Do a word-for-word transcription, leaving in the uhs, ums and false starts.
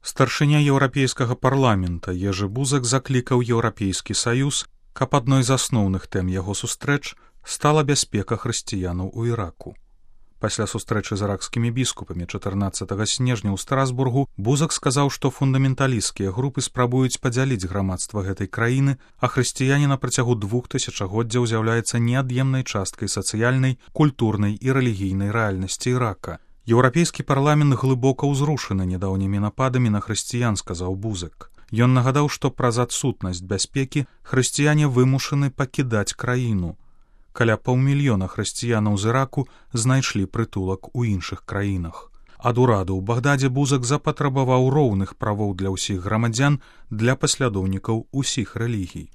Старшыня еўрапейскага парламента Ежы Бузак заклікаў Еўрапейскі саюз, каб адной з асноўных тэм яго сустрэч стала бяспека хрысціянаў у Іраку. Пасля сустрэчы з іракскімі біскупамі чатырнаццатага снежня ў Страсбургу Бузак сказаў, што фундаменталісцкія групы спрабуюць падзяліць грамадства гэтай краіны, а хрысціяне на працягу двух тысячагоддзяў з'яўляецца неад'емнай часткай сацыяльнай, культурнай і рэлігійнай рэальнасці Ірака. Еўрапейскі парламент глыбока ўзрушаны нядаўнімі нападамі на хрысціян, сказаў Бузак. Ён нагадаў, што праз адсутнасць бяспекі хрысціяне вымушаны пакідаць краіну. Каля паўмільёна хрысціянаў з Іраку знайшлі прытулак у іншых краінах. Ад ураду ў Багдадзе Бузак запатрабаваў роўных правоў для ўсіх грамадзян, для паслядоўнікаў усіх рэлігій.